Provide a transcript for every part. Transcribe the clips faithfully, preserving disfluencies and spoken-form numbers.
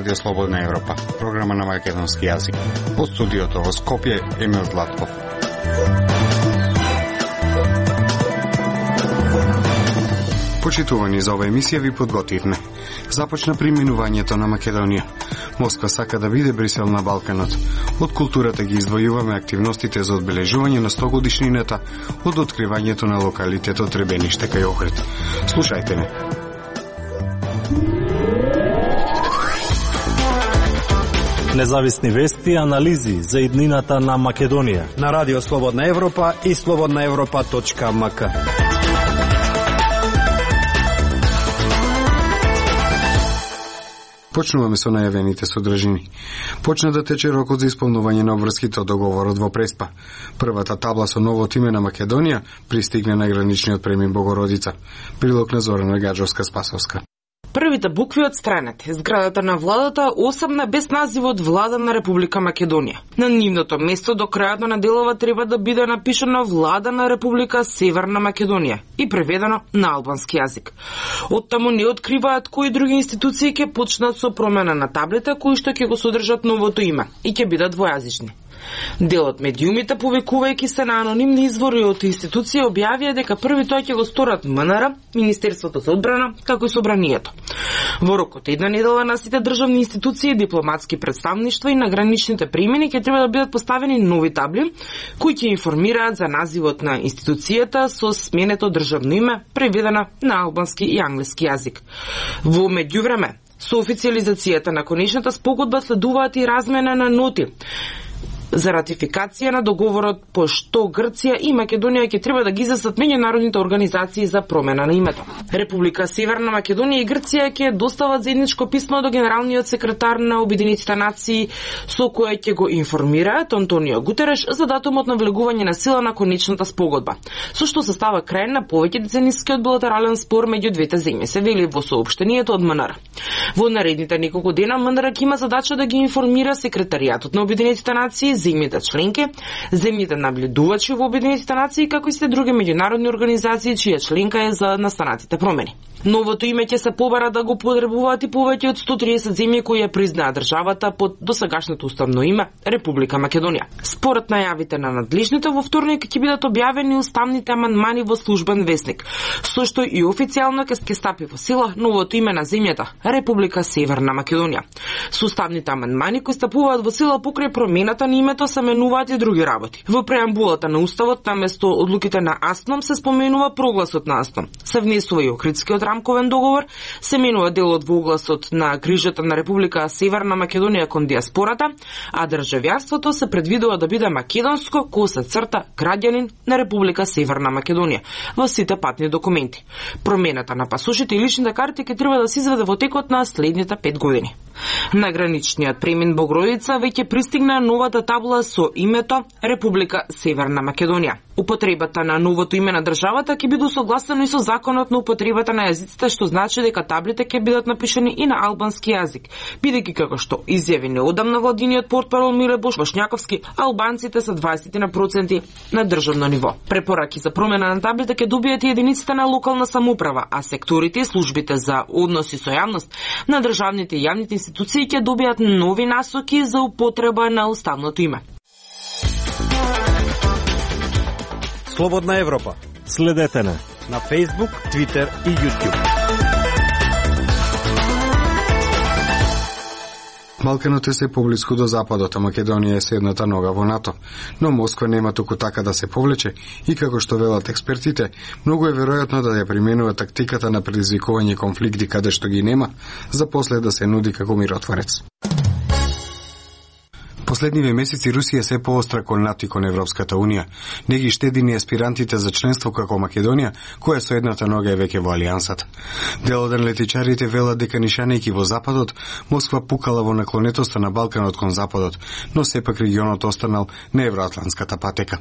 Радио Слободна Европа, програма на македонски јазик. Од студиото во Скопје, Емил Златков. Почитувани, за ова емисија ви подготвивме. Започна применувањето на Македонија. Москва сака да биде Брисел на Балканот. Од културата ги издвојуваме активностите за одбележување на сто годишнината од откривањето на локалитетот Требениште кај Охрид. Слушајте ме. Независни вести и анализи за иднината на Македонија на Радио Слободна Европа и слободна европа точка ем ка. Почнуваме со најавените содржини. Почна да тече рокот за исполнување на обврските од договорот во Преспа. Првата табла со новото име на Македонија пристигне на граничниот премин Богородица. Прилог на Зорана Гаджовска-Спасовска. Првите букви отстранети. Зградата на владата осамна без називот Влада на Република Македонија. На нивното место до крајот на неделова треба да биде напишано Влада на Република Северна Македонија и преведено на албански јазик. Оттаму не откриваат кои други институции ќе почнат со промена на таблите кои што ќе го содржат новото име и ќе бидат двојазични. Дел од медиумите, повикувајќи се на анонимни извори од институции, објавија дека први тој ќе го сторат ем ен ер, Министерството за одбрана, како и собранието. Во рокот една недела на сите државни институции, дипломатски представништва и на граничните премини ќе треба да бидат поставени нови табли кои ќе информираат за називот на институцијата со сменето државно име, преведена на албански и англиски јазик. Во меѓувреме, со официализацијата на конечната спогодба следуваат и размена на ноти за ратификација на договорот по што Грција и Македонија ќе треба да ги излесат меѓународните организации за промена на името. Република Северна Македонија и Грција ќе достават заедничко писмо до генералниот секретар на Обединетите нации со кое ќе го информираат Антонио Гутереш за датумот на влегување на сила на конечната спогодба, со што се става крај на повеќе деценискиот билатерален спор меѓу двете земји, се вели во соопштението од ем ен ер. Во наредните неколку дена ем ен ер ќе има задача да ги информира секретаријатот на Обединетите нации, земјите членки, земјите наблюдувачи во Обединетите нации, како и се други меѓународни организации чија членка е за настанатите промени. Новото име ќе се побара да го потребуваат и повеќе од сто триесет земји кои ја признаат државата под досегашното уставно име Република Македонија. Според најавите на надлежните, во вторник ќе бидат објавени уставните амандмани во службен весник, со што и официјално ќе стапи во сила новото име на земјата Република Северна Македонија. Со уставните амандмани кои стапуваат во сила покрај промената на името се менуваат и други работи. Во преамбулата на уставот наместо одлуките на АСНОМ се споменува прогласот на АСНОМ. Се внесува и Охридскиот рамковен договор, се менува делот во огласот на грижата на Република Северна Македонија кон диаспората, а државјанството се предвидува да биде македонско, кој се црта граѓанин на Република Северна Македонија во сите патни документи. Промената на пасошите и личните карти ќе треба да се изведе во текот на следните пет години. На граничниот премин Богородица веќе пристигна новата табла со името Република Северна Македонија. Употребата на новото име на државата ќе биде согласено и со законот на употребата на јазиците, што значи дека таблите ќе бидат напишани и на албански јазик, бидејќи како што изјави неодамна владиниот портпарол Миле Бошњаковски, албанците се дваесет проценти на државно ниво. Препораки за промена на таблите ќе добијат и единиците на локална самоуправа, а секторите и службите за односи со јавност на државните и јавните институции ќе добијат нови насоки за употреба на уставното име. Слободна Европа. Следете не на Facebook, Twitter и YouTube. Балканот е се поблиску до западот, а Македонија е седната нога во НАТО. Но Москва нема туку така да се повлече и како што велат експертите, многу е веројатно да ја применува тактиката на предизвикување конфликти каде што ги нема, за после да се нуди како миротворец. Последниве месеци Русија се поостра кон НАТО и кон Европската Унија. Не ги штеди ни аспирантите за членство како Македонија, која со едната нога е веќе во алијансата. Дел од аналитичарите велат дека нишанејќи во западот, Москва пукала во наклонетоста на Балканот кон западот, но сепак регионот останал на евроатлантската патека.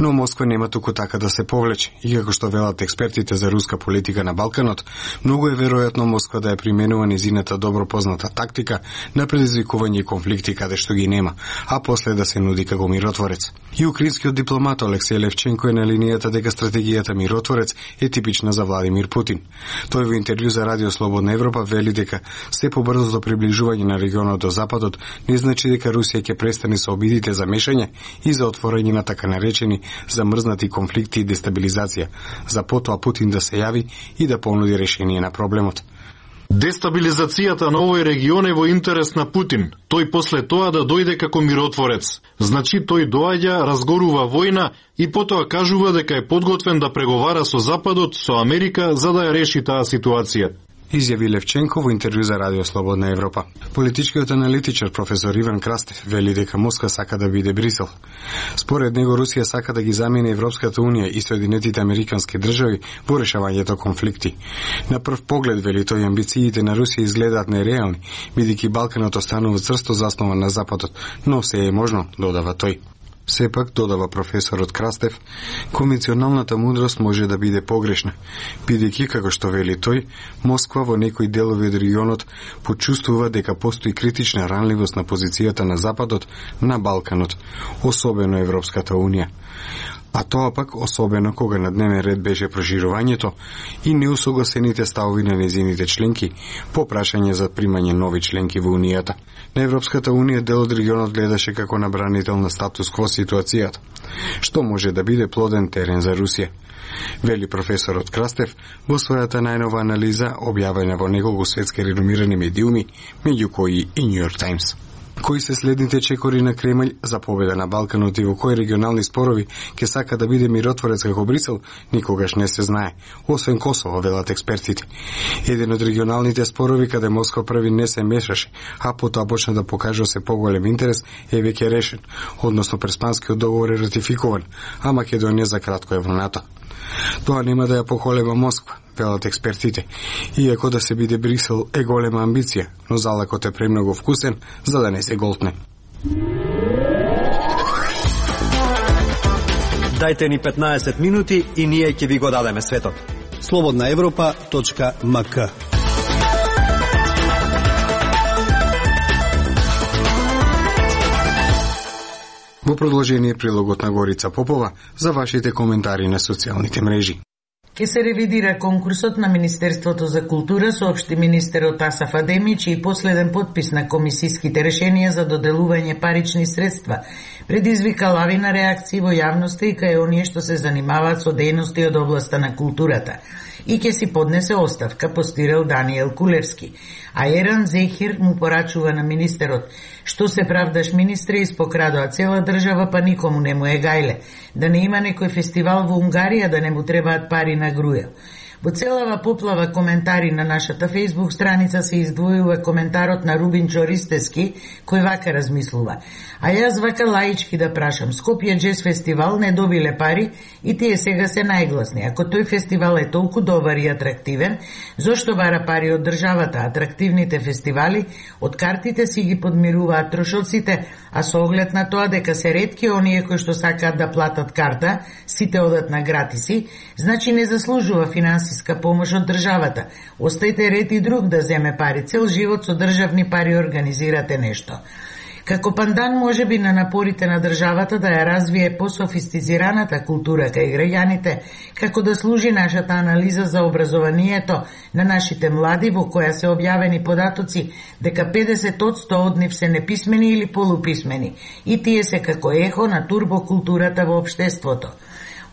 Но Москва нема туку така да се повлече, и како што велат експертите за руска политика на Балканот, многу е веројатно Москва да ја применува низината добро позната тактика на предизвикување конфликти каде што ги нема. нема, а после да се нуди како миротворец. И украинскиот дипломат Алексеј Левченко е на линијата дека стратегијата миротворец е типична за Владимир Путин. Тој во интервју за Радио Слободна Европа вели дека се побрзото приближување на регионот до западот не значи дека Русија ќе престане со обидите за мешање и за отворање на така наречени замрзнати конфликти и дестабилизација, за потоа Путин да се јави и да понуди решение на проблемот. Дестабилизацијата на овој регион е во интерес на Путин. Тој после тоа да дојде како миротворец. Значи тој доаѓа, разгорува војна и потоа кажува дека е подготвен да преговара со Западот, со Америка, за да ја реши таа ситуација, изјави Левченко во интервју за Радио Слободна Европа. Политичкиот аналитичар професор Иван Крастев вели дека Москва сака да биде Брисел. Според него Русија сака да ги замени Европската унија и Соединетите американски држави во решавањето конфликти. На прв поглед, вели тој, амбициите на Русија изгледаат нереални, бидејќи Балканот останува црсто заснован на Западот, но се е можно, додава тој. Сепак, додава професорот Крастев, конвенционалната мудрост може да биде погрешна, бидејќи, како што вели тој, Москва во некои делови од регионот почувствува дека постои критична ранливост на позицијата на Западот на Балканот, особено Европската унија. А тоа пак особено кога на дневен ред беше проширувањето и неусогласените ставови на незините членки по прашање за примање нови членки во Унијата. На Европската унија дел од регионот гледаше како на бранител на статус кво ситуацијата, што може да биде плоден терен за Русија, вели професорот Крастев во својата најнова анализа објавена во неколку светски реномирани медиуми, меѓу кои и New York Times. Кои се следните чекори на Кремљ за победа на Балканот и во кои регионални спорови ќе сака да биде миротворец како Брисел, никогаш не се знае, освен Косово, велат експертите. Еден од регионалните спорови каде Москва први не се мешаше, а потоа почна да покажа се поголем интерес, е веќе решен, односно Преспанскиот договор е ратификуван, а Македонија за кратко е во НАТО. Тоа нема да ја поколеба Москва, велат експертите, иако да се биде Брисел е голема амбиција, но залакот е премногу вкусен за да не се голтне. Дајте ни петнаесет минути и ние ќе ви го дадеме светот. слободна европа точка ем ка. Во продолжение прилогот на Горица Попова за вашите коментари на социјалните мрежи. Ке се ревидира конкурсот на Министерството за култура, соопшти министерот Асаф Адемич, и последен подпис на комисиските решенија за доделување парични средства предизвика лавина реакции во јавноста и кај оние што се занимаваат со дејности од областа на културата. И ќе си поднесе оставка, постирал Даниел Кулевски. А Еран Зехир му порачува на министерот: што се правдаш, министре, испокрадоа цела држава, па никому не му е гајле. Да не има некој фестивал во Унгарија, да не му требаат пари на Грујел. Во целава поплава коментари на нашата фејсбук страница се издвојува коментарот на Рубин Чористески, кој вака размислува: а јас вака лаички да прашам, Скопје Джез фестивал не добиле пари и тие сега се најгласни. Ако тој фестивал е толку добар и атрактивен, зошто бара пари од државата? Атрактивните фестивали од картите си ги подмируваат трошоците, а со оглед на тоа дека се ретки оние кои што сакаат да платат карта, сите одат на гратиси, значи не заслужува финансиска помош од државата. Остајте ред и друг да земе пари. Цел живот со државни пари организирате нешто. Како пандан може би на напорите на државата да ја развие пософистицираната култура кај граѓаните, како да служи нашата анализа за образованието на нашите млади, во која се објавени податоци дека педесет одсто од нив се неписмени или полуписмени, и тие се како ехо на турбокултурата во општеството.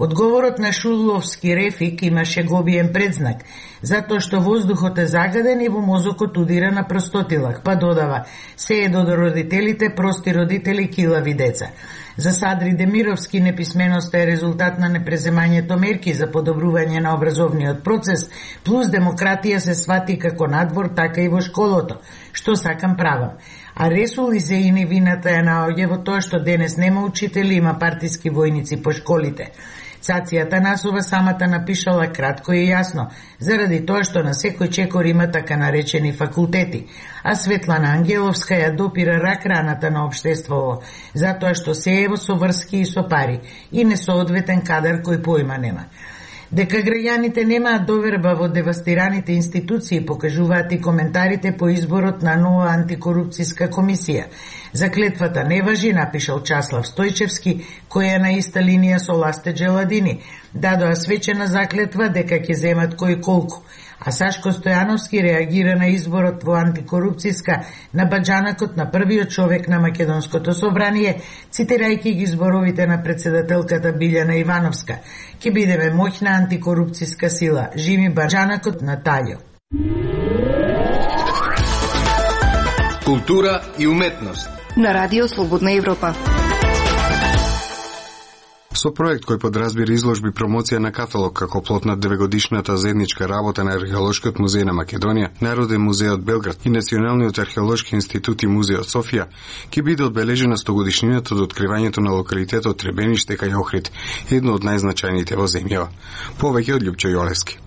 Одговорот на Шуловски Рефик имаше гобиен предзнак, затоа што воздухот е загаден и во мозокот удира на простотилак, па додава: се е до родителите, прости родители, килави деца. За Садри Демировски неписменоста е резултат на непреземањето мерки за подобрување на образовниот процес, плюс демократија се свати како надвор, така и во школото. Што сакам правам. А Ресул Изеини вината ја наоѓа во тоа што денес нема учители, има партиски војници по школите. Цација Насова самата напишала кратко и јасно, заради тоа што на секој чекор има така наречени факултети, а Светлана Ангеловска ја допира рак раната на општеството, затоа што се е со врски и со пари, и несоодветен кадар кој појма нема. Дека граѓаните немаат доверба во девастираните институции покажуваат и коментарите по изборот на нова антикорупцијска комисија. Заклетвата не важи, напишал Часлав Стојчевски, кој е на иста линија со Ласте Джеладини. Дадоа свечена заклетва дека ќе земат кој колку. А Сашко Стојановски реагира на изборот во антикорупцијска на баџанакот на првиот човек на Македонското собрание, цитирајќи ги зборовите на председателката Билјана Ивановска. Ке бидеме моќна антикорупцијска сила. Живи баџанакот на Таљо. Култура и уметност. На Радио Слободна Европа. Со проект кој подразбира изложби промоција на каталог како плод на девегодишната заедничка работа на Археолошкиот музеј на Македонија, Народен музејот Белград и Националниот археолошки институт и музејот Софија, ќе биде одбележена стогодишнината од откривањето на локалитетот Требениште кај Охрид, едно од најзначајните во земјава. Повеќе од Љупчо Јолевски.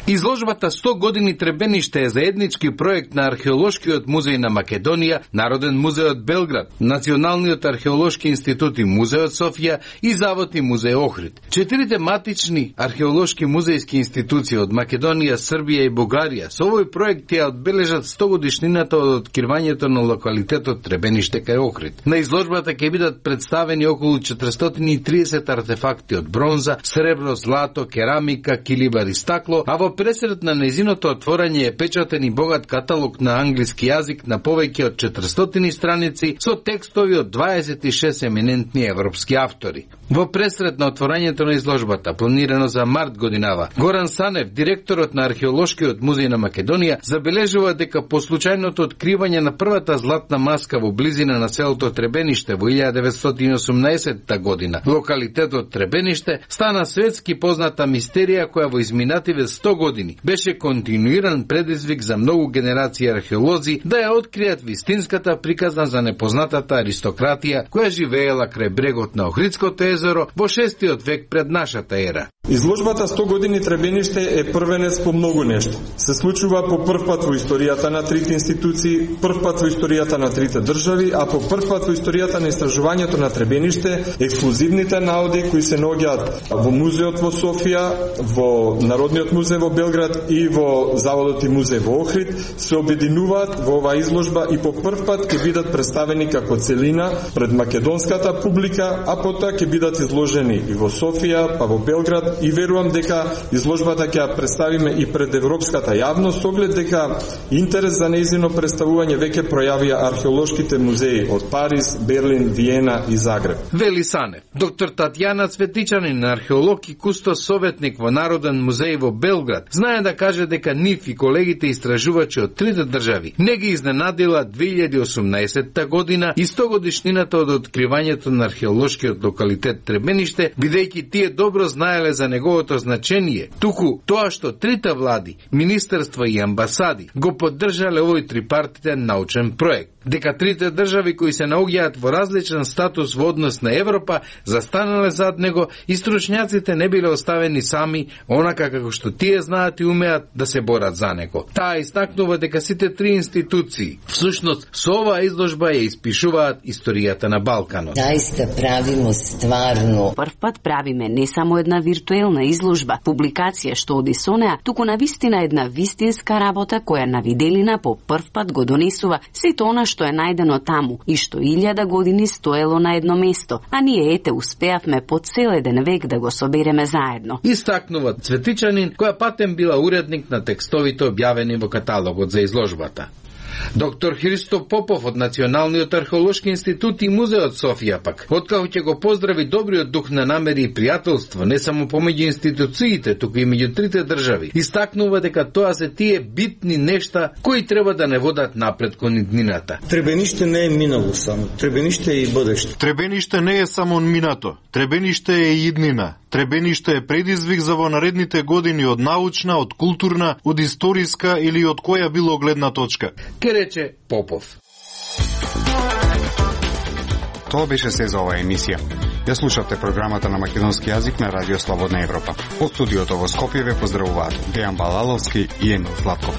Изложбата сто години Требениште е заеднички проект на Археолошкиот музеј на Македонија, Народен музејот Белград, Националниот археолошки институт и музејот Софија и Завод и музеј Охрид. Четирите матични археолошки музејски институции од Македонија, Србија и Бугарија со овој проект ја одбележат сто годишнината од откривањето на локалитетот Требениште кај Охрид. На изложбата ќе бидат представени околу четиристотини и триесет артефакти од бронза, сребро, злато, керамика, килибар и стакло, а во пресред на нејзиното отворање е печатен и богат каталог на англиски јазик на повеќе од четиристотини страници со текстови од дваесет и шест еминентни европски автори. Во пресред на отворањето на изложбата, планирано за март годинава, Горан Санев, директорот на Археолошкиот музеј на Македонија, забележува дека по случајното откривање на првата златна маска во близина на селото Требениште во илјада деветстотини и осумнаесетта година, локалитетот Требениште стана светски позната мистерија која во изминативе сто години беше континуиран предизвик за многу генерации археолози да ја откријат вистинската приказна за непознатата аристократија која живеела крај брегот на Охридското езеро во шестиот век пред нашата ера. Изложбата сто години Требениште е првенец по многу нешто. Се случува по прв пат во историјата на трите институции, прв пат во историјата на трите држави, а по прв пат во историјата на истражувањето на Требениште, ексклузивните наоди кои се наоѓаат во музеот во Софија, во Народниот музеј во Белград и во Заводот и музеј во Охрид се обединуваат во оваа изложба и по прв пат ќе бидат представени како целина пред македонската публика, а потоа ќе бидат изложени и во Софија, па во Белград, и верувам дека изложбата ќе ја представиме и пред европската јавност, оглед дека интерес за нејзино представување веќе пројавија археолошките музеи од Париз, Берлин, Виена и Загреб. Вели Санев. Доктор Татјана Цветичанин, археолог и кустос советник во Народен музеј во Белград, знае да каже дека нив и колегите истражувачи од трите држави не ги изненадила две илјади и осумнаесетта година и сто годишнината од откривањето на археолошкиот локалитет Требениште, бидејќи тие добро знаеле за неговото значение, туку тоа што трите влади, министерства и амбасади го поддржале овој трипартитен научен проект. Дека трите држави кои се наоѓаат во различен статус во однос на Европа застанале зад него и стручњаците не биле оставени сами, онака како што тие знаат и умеат да се борат за него. Таа истакнува дека сите три институции всушност со оваа изложба ја испишуваат историјата на Балканот. Заиста правимо стварно. Прв пат правиме не само една виртуелна изложба, публикација што оди со неа, туку навистина една вистинска работа која на виделина по прв пат го донесува сето она што е најдено таму и што илјада години стоело на едно место, а ние ете успеавме по цел еден век да го собереме заедно. Истакнува Цветичанин, која патем била уредник на текстовите објавени во каталогот за изложбата. Доктор Христо Попов од Националниот археолошки институт и музеот Софија пак, откако ќе го поздрави добриот дух на намери и пријателство не само помеѓу институциите, туку и меѓу трите држави, истакнува дека тоа се тие битни нешта кои треба да не водат напред кон иднината. Требениште не е минало само, Требениште е и будеште. Требениште не е само минато, Требениште е и иднина. Требениште е предизвик за во наредните години од научна, од културна, од историска или од која било гледна точка. Ке рече Попов. Тоа беше се за оваа емисија. Ја слушавте програмата на македонски јазик на Радио Слободна Европа. Од студиото во Скопје ве поздравуваат Дејан Балаловски и Емил Златков.